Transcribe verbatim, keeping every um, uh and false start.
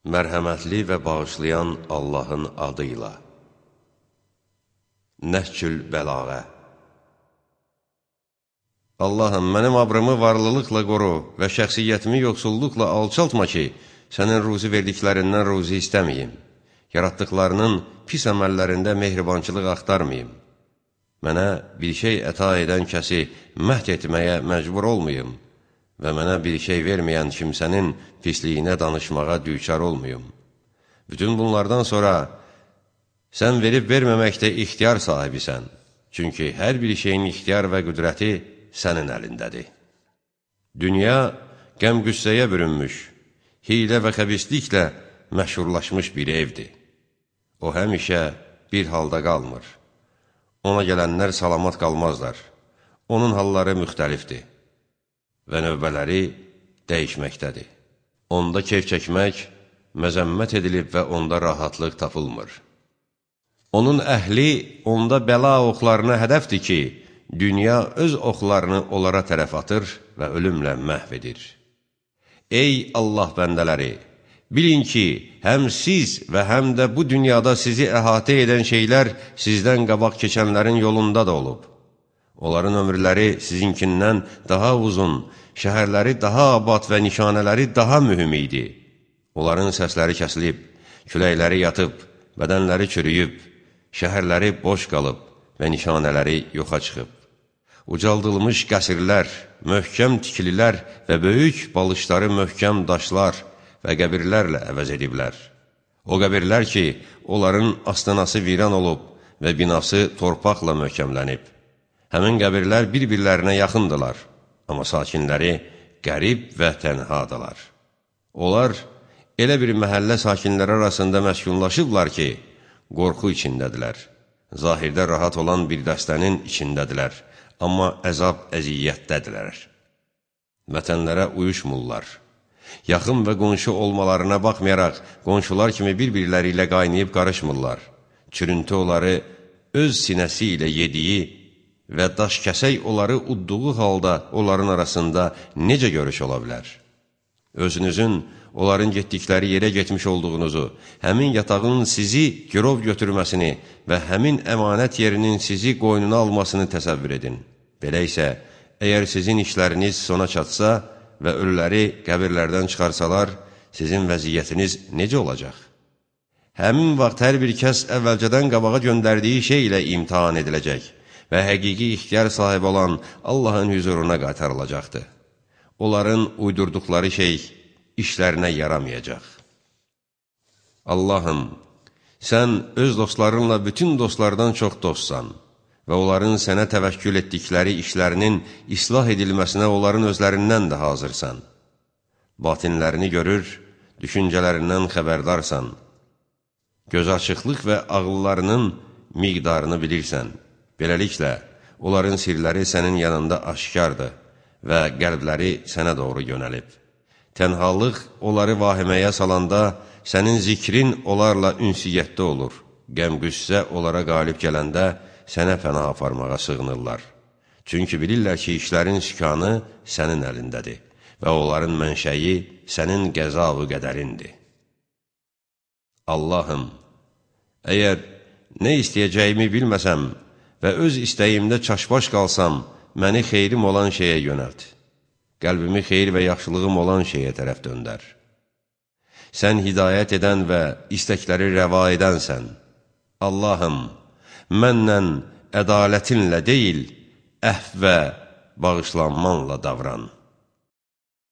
Mərhəmətli və bağışlayan Allahın adıyla. Nəhcül Bəlağə. Allahım, mənim abrımı varlılıqla qoru və şəxsiyyətimi yoxsulluqla alçaltma ki, sənin ruzi verdiklərindən ruzi istəməyim. Yaratdıqlarının pis əməllərində mehribançılıq axtarmayım. Mənə bir şey əta edən kəsi məhd etməyə məcbur olmayım və mənə bir şey verməyən kimsənin pisliyinə danışmağa düçar olmayım. Bütün bunlardan sonra sən verib verməməkdə ixtiyar sahibisən. Çünki hər bir şeyin ixtiyar və qüdrəti sənin əlindədir. Dünya qəm-qüssəyə bürünmüş, hilə və xəbisliklə məşhurlaşmış bir evdir. O həmişə bir halda qalmır. Ona gələnlər salamat qalmazlar. Onun halları müxtəlifdir və növbələri dəyişməkdədir. Onda keyf çəkmək məzəmmət edilib və onda rahatlıq tapılmır. Onun əhli onda bəla oxlarına hədəfdir ki, dünya öz oxlarını onlara tərəf atır və ölümlə məhv edir. Ey Allah bəndələri! Bilin ki, həm siz və həm də bu dünyada sizi əhatə edən şeylər sizdən qabaq keçənlərin yolunda da olub. Onların ömürləri sizinkindən daha uzun, şəhərləri daha abad və nişanələri daha mühüm idi. Onların səsləri kəsilib, küləkləri yatıb, bədənləri çürüyüb, şəhərləri boş qalıb və nişanələri yoxa çıxıb. Ucaldılmış qəsirlər, möhkəm tikililər və böyük balışları möhkəm daşlar və qəbirlərlə əvəz ediblər. O qəbirlər ki, onların astanası viran olub və binası torpaqla möhkəmlənib. Həmin qəbirlər bir-birlərinə yaxındılar, amma sakinləri qərib və tənhadalar. Onlar elə bir məhəllə sakinləri arasında məskunlaşıblar ki, qorxu içindədilər. Zahirdə rahat olan bir dəstənin içindədilər, amma əzab əziyyətdədirlər. Vətənlərə uyuşmurlar. Yaxın və qonşu olmalarına baxmayaraq, qonşular kimi bir-birləri ilə qaynayıb qarışmırlar. Çürüntü onları öz sinəsi ilə yediyi və daş kəsək onları udduğu halda onların arasında necə görüş ola bilər? Özünüzün onların getdikləri yerə getmiş olduğunuzu, həmin yatağın sizi girov götürməsini və həmin əmanət yerinin sizi qoynuna almasını təsəvvür edin. Belə isə, əgər sizin işləriniz sona çatsa və ölüləri qəbirlərdən çıxarsalar, sizin vəziyyətiniz necə olacaq? Həmin vaxt hər bir kəs əvvəlcədən qabağa göndərdiyi şey ilə imtihan ediləcək və həqiqi ixtiyar sahibi olan Allahın hüzuruna qaytarılacaqdır. Onların uydurduqları şey işlərinə yaramayacaq. Allahım, sən öz dostlarınla bütün dostlardan çox dostsan və onların sənə təvəkkül etdikləri işlərinin islah edilməsinə onların özlərindən də hazırsan. Batinlərini görür, düşüncələrindən xəbərdarsan. Göz açıqlıq və ağıllarının miqdarını bilirsən. Beləliklə, onların sirləri sənin yanında aşkardır və qəlbləri sənə doğru yönəlib. Tənhalıq onları vahiməyə salanda, sənin zikrin onlarla ünsiyyətdə olur. Qəm-qüssə onlara qalib qədəndə, sənə pənah aparmağa sığınırlar. Çünki bilirlər ki, işlərin sükanı sənin əlindədir və onların mənşəyi sənin qəza-ı qədərindir. Allahım, əgər nə istəyəcəyimi bilməsəm və öz istəyimdə çaşbaş qalsam, məni xeyrim olan şeyə yönəlt. Qəlbimi xeyir və yaxşılığım olan şeyə tərəf döndər. Sən hidayət edən və istəkləri rəva edənsən. Allahım, mənlə ədalətinlə deyil, əhv və bağışlanmanla davran.